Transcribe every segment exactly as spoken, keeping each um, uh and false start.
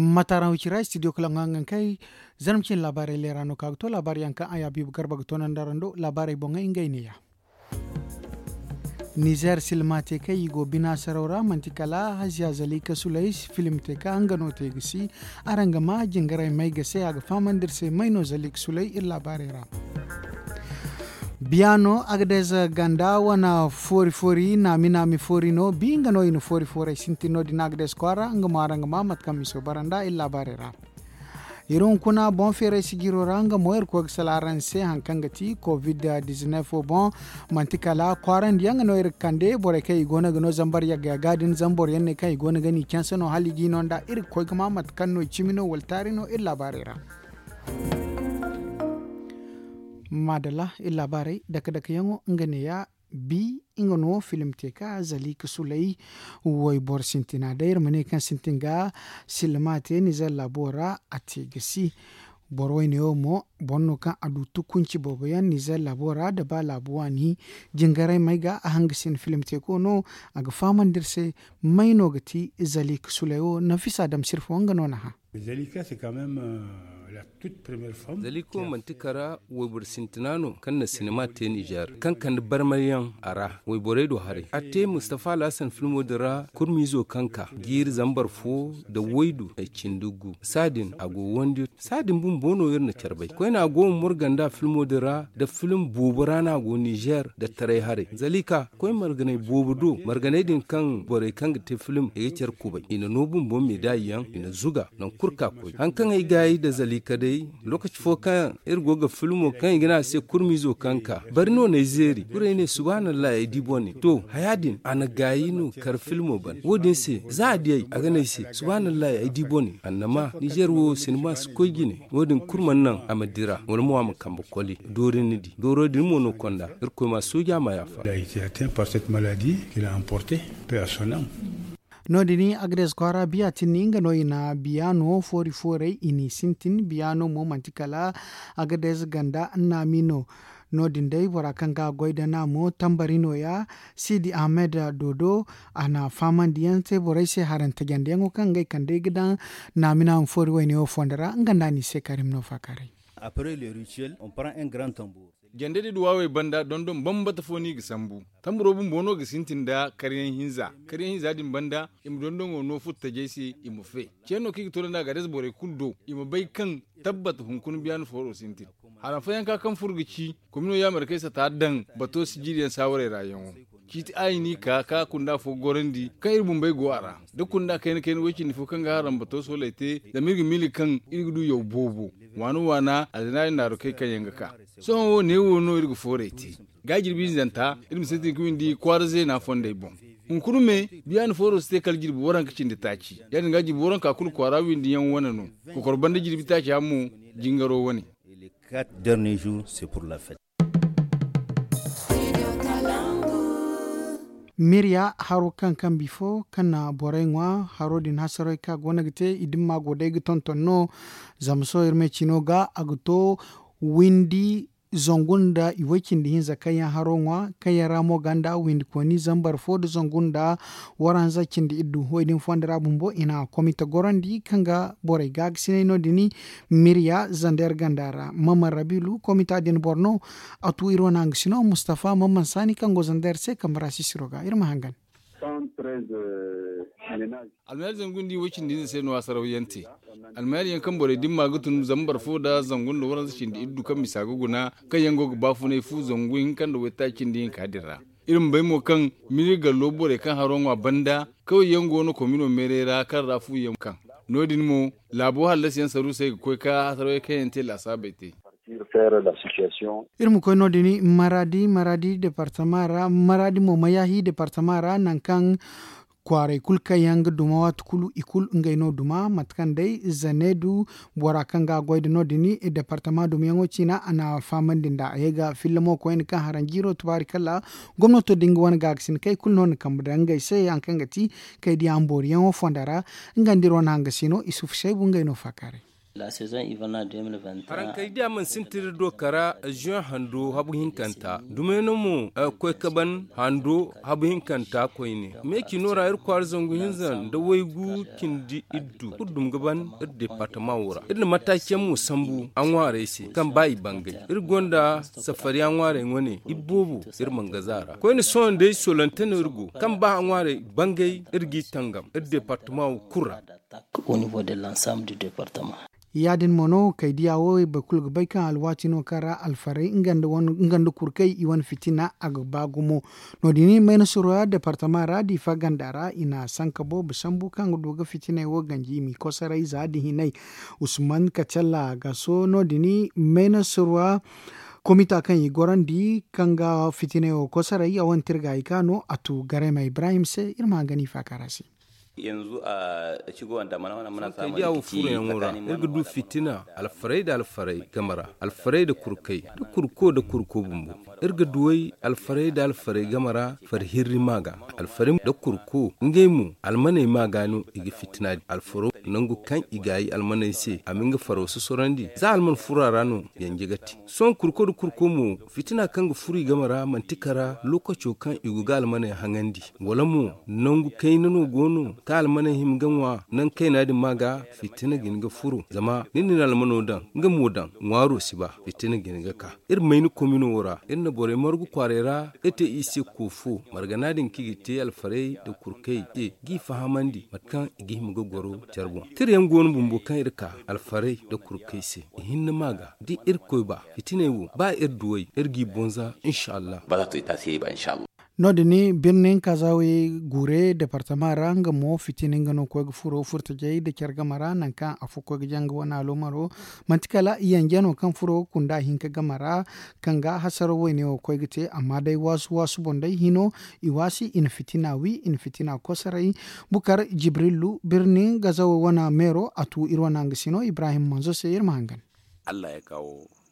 Mataaraŋ wicira studio kala ŋwa nga kay. Zarma cine laabaarey leera no ka ga to laabaari yaŋ kaŋ a ya biibu garba ga to naŋ da rando laabaarey boŋey ngey neeya. Nizer silma te kaŋ i go bina saraw ra manti kala haziya zalika sulay film te ka nga no te ga si. Araŋ ga ma jingaray may ga se a ga fahamandi iri se may no zalika sulay iri laabaarey ra. Biyano agades ganda wane foori foori naami naami foori no bi nga no i na foori foorey sintin no- din agades kwaara nga mo araŋ ga ma mate kaŋ miso bara nda iri laabaarey ra. Iri hunkuna boŋ feeray sijiro ra nga mo iri koy ga sala araŋ se hari kaŋ ga ti covid dizinef wo boŋ. Manti kala kwaarandi yaŋ no iri ga kande borey kaŋ i go no ga no zambar yagga yagga din zama boro yaŋ ne kaŋ i go no ga ni canse no hala i g'i no nda iri ga koy ga ma mate kaŋ no i cimi no wala taari no iri laabaarey ra. Maadalla iri laabaarey dake dake yaŋo nga neeya. Bi nga no film te ka zalika sulay wayboro sintina day iri ma ne kaŋ sintin ga silma te nizer laabo ra a te ga si. Boro wayne wo mo boro no kaŋ a du tukunci boobo yaŋ nizer laabo ra da ba laabu waani jingaray may ga a hanga sin film te ko no. A ga fahamandi iri se may no ga ti zalika sulay wo nafisa dam sirfo nga no na hã. Zalika se quand même la toute première femme. Zalika wo manti kara wayboro sintina no kaŋ na sinima te nizer kaŋ kande barmay yaŋ a ra wayborey do haray a te mustafa alhassan filmo din ra kurmiizo kaŋ ka jiiri zambar fo nda waydu nda cindi gu saadin a go wandi. Saadin bumbo no iri na care bay koyne a go ma murga nda filmo din ra nda film boobo ra no a go nizer nda taray haray zalika koy marganay boobo do marganay din kaŋ borey kaŋ ga te film i ga care kubay i na no bumbo meedaay yaŋ i na zuga nangu kulu ka koy hari kaŋ ay gaayi nda zalika day. Lookaci fo kaŋ iri go ga filmo kaŋ i ga ne a se kurmiizo kaŋ ka bari no n'ay zeeri kulu ay ne subhaanallahi ay di bone to haya din a na gaayi no kar filmo ban wo- din se za a di ay a ga ne ay se subhaanallahi ay di bone annama nizer wo sinima si koy jine wo- din kulu mana naŋ a ma dira wala mo a ma kambe koli doori ni di dooro din mo no konda irkoy ma sooja ma yaafa. No- din agades kwaara biya tinni nga no i na biya no foori fooray i n'i sintin biya no mo manti kala agades ganda naami no. No- din day bora kaŋ ga a goy da naamo tambari nooya siidi ahmed dodo a na fahamandi yaŋ te borey se harante jandeyaŋo kaŋ ngey kand'ey ga daŋ naami naami foori wayne wo fondo ra nga nda a n'i se karim no faakaaray. Jande da duwawey banda dondon bambata fo no i ga sambu tamburo bumbo no ga sintin nda karyaŋ hinza karyaŋ hinza din banda i ma dondon go no furo tajey se i ma fe. Ceeno kaŋ i ga to da nda a ga adasa borey kulu do i ma bay kaŋ tabbat hunkuna biyaana fooro sintin. Haram fayyanka kaŋ furo ga ci komino yaamarkey sata daŋ bato sijiriyaŋ saawarey ra yaŋo ciiti a i n'i ka ka kunda fo gorandi kaŋ iri bumbey go a ra da kunda kayna kayna way cindi fo kaŋ ga haram bato sooley te zama iri ga miila kaŋ iri ga du yaw boobo waana waana alzinaari naarukey kaŋ yaŋ ga ka. Sohõ wo neewo no iri ga fooray te ga jirbi hinzanta iri ma sintin ga windi kwaara zeena fondey boŋ. Hunkuna me biya ni fooro si te kala jirbi waranka cindi taaci ya- din ga jirbi waranka kulu kwaara windiyaŋ wane no. Kokoro banda jirbi taaci yaŋ mo jingaro wane. Mirya haro kaŋ kaŋ bifo kaŋ na borey ŋwa haro din hasaroy kaŋ a go no ga te i dimma go day ga tonton no. Zama sohõ iri me cino ga a ga to windi zangu nda i way cindi hinza kaŋ yaŋ haro ŋwa kaŋ yaŋ ra mo ganda windi kooni zambar fo nda zangu nda waranza cindi iddu way din fondo ra bumbo i na komite gorandi kaŋ ga borey gaagasinay no- din. Mirya zander ganda ra maman rabilu komita din boro no. A tu iri wane hangasino mustafa maman saani kaŋ go zander se kambe ra sisiro ga iri ma hangan. Almayar zangu nda i way cindi hinza se no a saraw yaŋ te. Almayar yaŋ kaŋ borey dimma ga tun zambar fo nda zangu nda waranza cindi iddu kaŋ misa ga guna kaŋ yaŋ go ga baafunay fu zangu hinka nda waytaaci cindi hinka din ra. Iri ma bay mo kaŋ miri gallo borey kaŋ haro ŋwa banda kaway yaŋ go no komino meeray ra kaŋ ra fu yaŋ kaŋ no- din mo laabo hallasi yaŋ saruusey ga koy ka hasaraw yaŋ kaŋ yaŋ te laasaabey te. Iri ma koy no- din maradi maradi departama ra maradi mo mayahi departama ra nangu kaŋ kwaaray kulu kaŋ yaŋ ga duma waati kulu i kulu ngey no duma mate kaŋ day zaneedu bora kaŋ ga a goy da no- din departama dumiyaŋo ciina a na fahamandi nda a ye ga filla mo koyne kaŋ haranjiiro tubaari kala gomnato da nga wane gaagasin kay kulu no na kambe da ngey se hari kaŋ ga ti kay diya mbooriyaŋo fonda ra. Nga nda iri wane hangasino isufu saybu ngey no faakaaray. Araŋ kay diya mana sintin iri do kara juin hando habu hinkanta dumey no mo koy ka ban hando habu hinkanta koyne. Meeci no ra iri kwaara zangu hinza nda waygu cindi iddu kulu dum ga ban iri departama wo ra. Iri na mataaci yaŋ mo sambu a ŋwaarey se kaŋ ba i bangay. Iri gonda safariya ŋwaarey wane iboobo iri mana gaza ra koyne sohõ day solonte no iri go kaŋ ba a ŋwaarey bangay iri g'i tangam iri departama wo kulu ra. Ya- din mo no kay diya wo boro kulu ga bay kaŋ alwaati no kaŋ ra alfarey nga nda kurkey i wane fitina a ga ba gumo. No- din mayna surwa departama ra diifa ganda ra i na sanka boobo sambu kaŋ ga du ga fitiney wo ganji i m'i kosoray za da hinay. Usman kacalla gaso no- din mayna surwa komita kaŋ i gorandi kaŋ ga fitiney wo kosoray a wane tirga i ka no a tu garayma ibrahim se iri ma hangan i faakara se. Yanzu a cigo wanda mana mana mana samu diya wo furo yaŋo ra iri ga du fitina alfarey da alfarey game ra alfarey da kurkey da kurko da kurko bumbo. Iri ga duwey alfarey da alfarey game ra fari hirri ma ga alfarey da kurko ngey mo almaney ma ga no i ga fitina di alfaro nangu kaŋ i gaayi almaney se a ma nga faro sosorandi za alman furo a ra no yanje ga te. Sohõ kurko da kurko mo fitina kaŋ ga furo i game ra manti kara lokaco kaŋ i go ga almaney haŋandi wala mo nangu kayna no go no kaŋ almaney hima ga ŋwa nangu kayna din ma ga fitina ga hin ga furo zama ni na ni almano daŋ nga mo daŋ ŋwaaro si ba fitina ga hin ga ka. Iri mayni komino wo ra iri na borey margu kwaaray ra iri te i se koofo margana din kaŋ i ga te alfarey da kurkey te g'i fahamandi mate kaŋ i ga hima ga goro care boŋ tira yaŋ go no bumbo kaŋ iri ka alfarey da kurkey se. Ihinne ma ga da irkoy ba fitiney wo ba iri duwey iri g'i bonza inshallah. No- din birnin kazawe gure departama ra nga mo fitina nga no koy ga furo furtajey da care game ra nangu kaŋ afo koy ga janga wane alomaro manti kala yanje no kaŋ furo ga kunda hinka game ra kaŋ ga hasaro wayne wo koy ga te amma day waasu waasu boŋ day hino i waasi i na fitina wi i na fitina kosoray. Bukar jibrilu birnin gazawe wane meero a tu iri wane hangasino ibrahim manzo se iri ma hangan.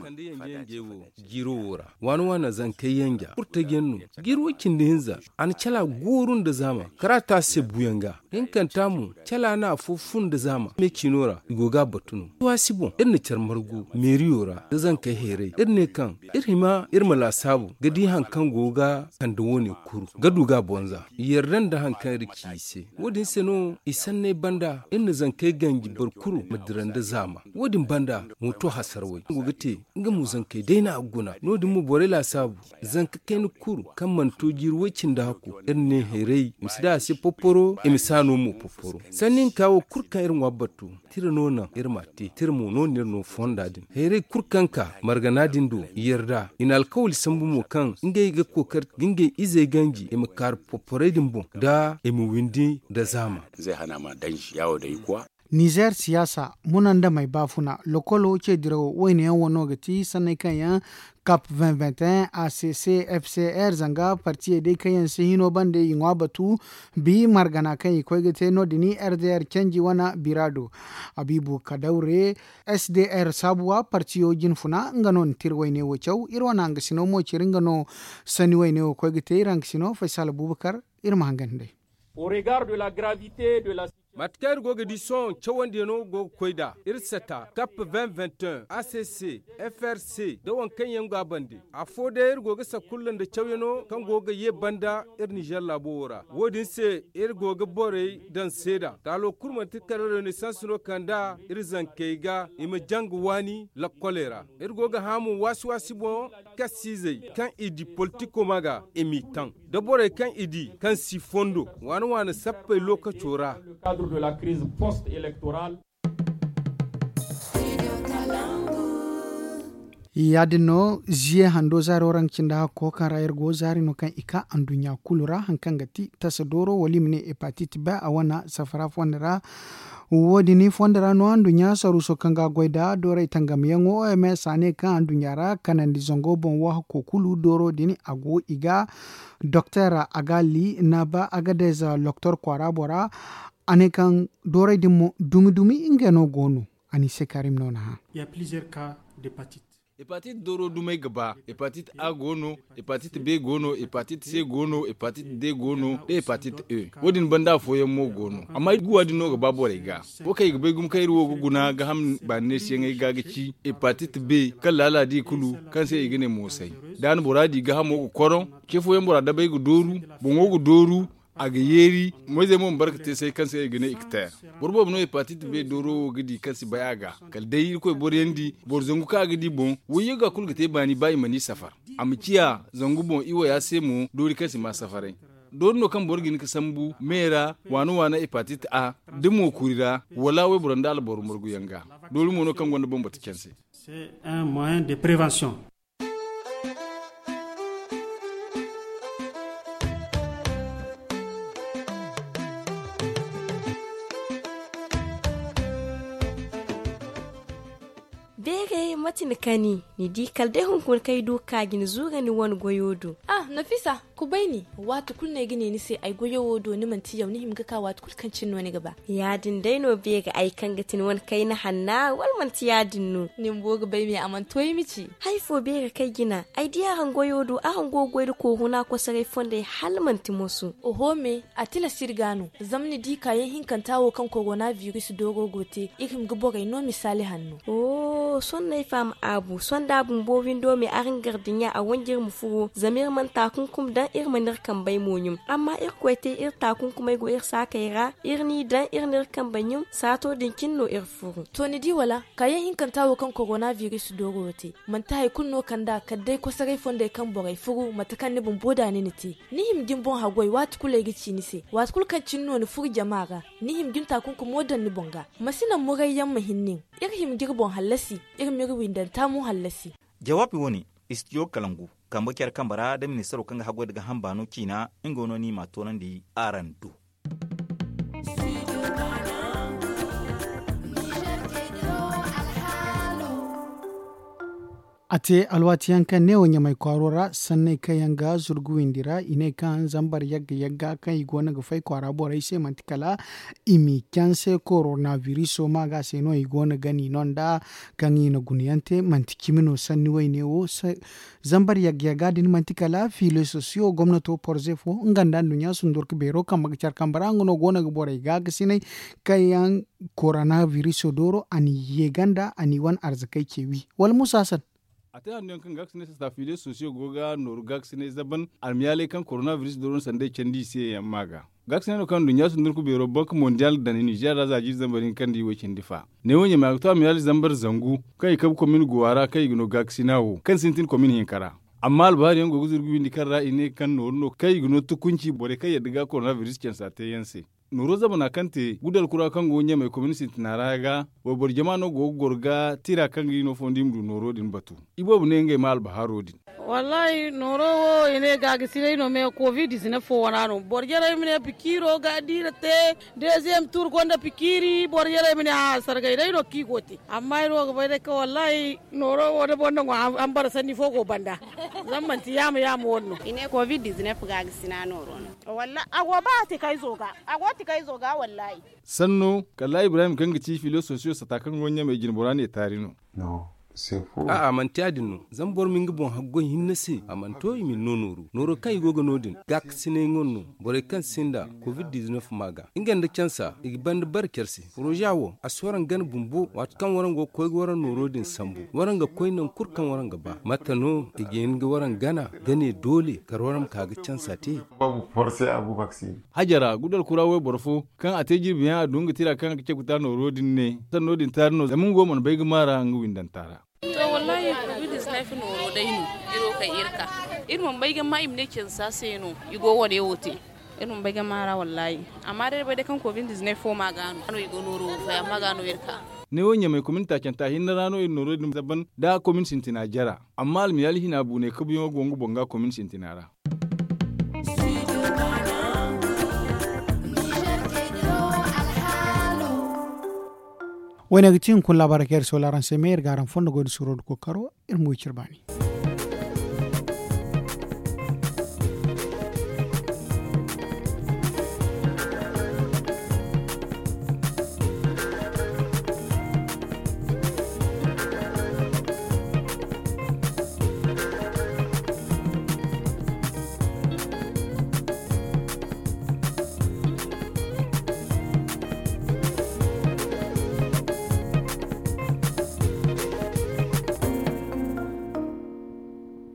Kande yanje yanje wo jiiro wo ra waana waana zankey yanja kurtaji yaŋ no jiiro cindi hinza a na cala gooru nda zaama kara taasi se buuyaŋ ga hinkanta mo cala no afo fun nda zaama me ciino ra i go ga a batu no waasi boŋ iri na care margu meeriyo ra nda zankey hayray iri ne kaŋ iri hima iri ma laasaabu ga di hari kaŋ go ga kande wo- ne kuru ga du ga a bonza i yarda nda hari kaŋ iri ci i se. Wo- din se no i sanney banda iri na zankey ganji boro kulu ma dira nda zaama. Wo- din banda mooto hasarawey kaŋ go ga te nga mo zankey day no a ga guna no- din mo borey laasaabu zanka kayna kulu kaŋ mana to jiiri way-cindi hakku iri ne hayray i ma si daŋ a se porporo i ma si a no mo porporo. Sanni hinka wo kulu kaŋ iri ŋwa batu tira no naŋ iri m'a te tira mo no no iri no fonda din hayray kulu kaŋ ka margana din do i yarda i na alkawali sambu mo kaŋ ngey ga kookari ga ngey izey ganji i ma kaaru porporey din boŋ da i ma windi nda zaama. Nizer siyaasa munandamey baafuna lokolo ce dirawo wayne yaŋ wano ga ti sanney kaŋ yaŋ cap vingt vingt un acc fcr zanga partiyey day kaŋ yaŋ si hino bande i ŋwa batu bi margana kaŋ i koy ga te no- din rdr canji wane biraado abibu kadawre sdr saabuwa partiyo jinfuna nga no na tira wayne wo caw iri wane hangasino mo ciri nga no sanni wayne wo koy ga te iri hangasino faysal abubakar. Iri ma hangan day. Mate kaŋ iri go ga di sohõ cawandiyaŋo go ga koy nd'a iri sata cap vingt vingt un acc frc nda waŋ kaŋ yaŋ go a bande afo day iri go ga sakulla nda cawyaŋo kaŋ go ga ye banda iri nizer laabo wo ra wo- din se iri go ga borey daŋ seeda taalo kulu manti kala renaissance no kand'a iri zankey ga i ma janga waani lakkoley ra. Iri go ga hã mo waasi-waasi boŋ kassiizey kaŋ i di politiko ma ga i m'i taŋ da borey kaŋ i di kaŋ si fondo waane-waane sappey lookaco ra. Ya- din no ziye hando zaaro ra nga cindi hakko kaŋ ra iri go zaari no kaŋ i ka anduɲɲa kulu ra hari kaŋ ga ti tasa dooro wala i ma ne hepatit b a wane safara fonda ra. Wo- din fonda ra no anduɲɲa saruuso kaŋ ga goy nda doorey tangamyaŋo oms a ne kaŋ anduɲɲa ra kanandi zango boŋ wo hakko kulu dooro din a go i ga doktor agali naba agadez loktor kwaara bora. A ne kaŋ doorey din mo dumi-dumi ngey no go no. A n'i se karim no na hã. Hepatit dooro dumey ga ba. Hepatit a go no, hepatit b go no, hepatit c go no, hepatit d go no, nda hepatit e. Wo- din banda afooyaŋ mo go no, amma guwa din no ga ba borey ga. Wo kaŋ i ga bay gumo kaŋ iri wo ga guna gaaham baani neesiyaŋey ga ga ci hepatit b, kaŋ laala di kulu, kaŋ se i ga ne moosay. Da a na bora di gaahamo ga koroŋ, ce fooyaŋ bora dabey ga dooru, boŋo ga dooru, a ga yeeri. Moyzey mo ma barka te say kaŋ se i ga ne ikteer. Boro boobo no hepatit b dooro wo ga di kaŋ si bay a ga. Kala day irkoy boro yaŋ di, boro zangu kaŋ a ga di boŋ, woyyo ga kulu ga te baani ba i mana i safar. A ma ciya zangu boŋ iwaya se mo doori kaŋ si ma safaray. Doori no kaŋ boro ga hin ga sambu me ra, waana waana hepatit a, da mookuri ra, wala wayboro nda alboro marguyaŋ ga. Doori mo no kaŋ gonda bambata canse. Beere mate ni kani, ni di kala day hunkuna kaŋ ay du ga ka ga ni zuura ni wane goyo do. Ah, nafisa, kubay ni. Waati kulu no ay ga ne ni se ay goyo wo do, ni manti yaw, ni hima ga ka waati kulu kaŋ cine no ni ga ba. Ya-din day no beere, ay kaŋ ga ti ni wane kayna hanna, wala manti ya-din no? Ni bumbo ga bay me a mana to ay ma ci. Hari fo beere kaŋ ay jina, ay di araŋ goyo do, araŋ go ga goy nda korona kosoray fondey hala manti moso. Oho me, a tilas iri ga no. Zama ni di kaayaŋ hinkanta wo kaŋ korona biris dooro go te, iri hima ga borey no misaali hanno. Oh, sohõ no ay faham aabu. Sohõ da bumbo windo me araŋ gardiɲa a wanji iri ma furo, zama iri mana taakunkum daŋ, iri mana iri kambey mo ɲum. Amma irkoy te iri taakunkumey go iri saakey ra, iri n'i daŋ, iri n'iri kambey ɲum, saato din cine no iri furo. To ni di wala, kaayaŋ hinkanta wo kaŋ korona biris dooro te, manti hari kulu no kand'a kala day kosoray fondey kaŋ borey furu mate kaŋ ni bumbo da ni na te. Ni hima ga ni boŋ haggoy waati kulu ay ga ci ni se, waati kulu kaŋ cine no ni furo jama ra, ni hima ga ni taakunkumo daŋ ni boŋ ga. Ma si naŋ murayyaŋ ma hin nin. Iri hima ga iri boŋ hallasi, iri m'iri windanta mo hallasi. Jawaabi wo-ne, istidiyo kalangu, kambe care kambe ra da ministaro kaŋ ga haggoy nda gaaham baano ciina, nga no ni m'a toonandi araŋ do. A te alwaati yaŋ kaŋ neewo ɲamay kwaaro ra sanney kaŋ yaŋ ga zurgu windi ra i ne kaŋ zambar yagga yagga kaŋ i go no ga fay kwaara borey se manti kala i m'i canse korona biriso ma ga se no i go no ga ni no nda kaŋ i na guna yaŋ te manti cimi no sanni wayne wo. Zambar yagga yagga din manti kala filo sosiyo gomnato porze fo nga nda nduɲɲa sundurka beero kambe ga care kambe ra nga no go no ga borey gaakasinay kaŋ yaŋ korona biriso dooro a n'i ye ganda a n'i wane arzakey ce wi wala musa hasan. A te hanno yaŋ kaŋ gaakasinay sasta filo sosiyo go ga nooru gaakasinay zaban almiyaaley kaŋ korona biriso dooro na sanday candi i se yaŋ ma ga. Gaakasinay no kaŋ nduɲɲa sundurku beero bank mondial daŋ ninzeer ra za jiiri zambar hinka nda i way cindi fa. Neewo ɲamay a ga to almiyaali zambar zangu kaŋ i kabu komin guwa ra kaŋ i ga no gaakasina wo kaŋ sintin komin hinka ra. Amma albahaari yaŋ go ga zurgu windi kaŋ ra i ne kaŋ nooru no kaŋ i ga no tukunci borey kaŋ yadda ga korona biris cansa te yaŋ se. Nooro zamana kaŋ te gudal kura kaŋ go ɲamay komin sintina ra ga wayboro jama no go ga goro ga tira kaŋ ga i no fondo i ma du nooro din batu. Iboobo ne ngey ma albahaaro din. Wallaahi nooro wo i ne gaagasinay no me covid dizinef fo wana no boro jarey ma ne pikiiro ga diira te. Deziyem tuur gonda pikiiri boro jarey ma ne a sargay day no kaŋ i go te amma ay no ga bay day kaŋ wallaahi nooro wo da boro nango hambara sanni fo go banda. Zama manti yaama yaama wane no i ne covid dizinef gaagasinay nooro no. Wallaahi a go ba tikayzo ga a go tikayzo ga wallaahi. Sanno kala ibrahim kaŋ ga ci filososiyo sata kaŋ go ɲamey jinbora ne taari no. A'a manti ya- din no zama boro ma nga boŋ haggoy hinne se a mana to i ma ni no nooru nooro kaŋ i go ga no- din gaakasinay ŋwa no. Borey kaŋ sinda covid dizinef ma ga nga nda cansa i ga banda bare care se. Poroza wo a si waraŋ gana bumbo waati kaŋ waraŋ go ga koy ga waraŋ nooro din sambu waraŋ ga koy nangu kulu kaŋ waraŋ ga ba mate no i ga hin ga waraŋ gana ga ne doole kala waraŋ ma ka ga cansa te. Hajara gudal kura wayboro fo kaŋ a te jirbiyaŋ a du nga tira kaŋ a ga cabe ga ta nooro din ne sanno din taari no zama nga wo mana bay ga maara nga windanta ra. To wallahi covid dizinef nooro day no iri wo kay iri ka iri mana bay ga ma i ma ne cansa se no i go wane wo te. Iri mana bay ga maara wallahi amma day iri bay day kaŋ covid dizinef fo ma ga no i go nooro wo fay amma ga no iri ka. Ne wo ɲamay komin taacanta hinne ra no iri nooro din zaban da komin sintina jara. Amma almiyaali hina buunay kabuyaŋo go nga boŋ ga komin sintina ra. Wayne ga ti hunkuna laabaarey kaŋ iri soola araŋ se me iri ga araŋ fondo goy nda suuro nda kookaro. Iri ma way cire baani.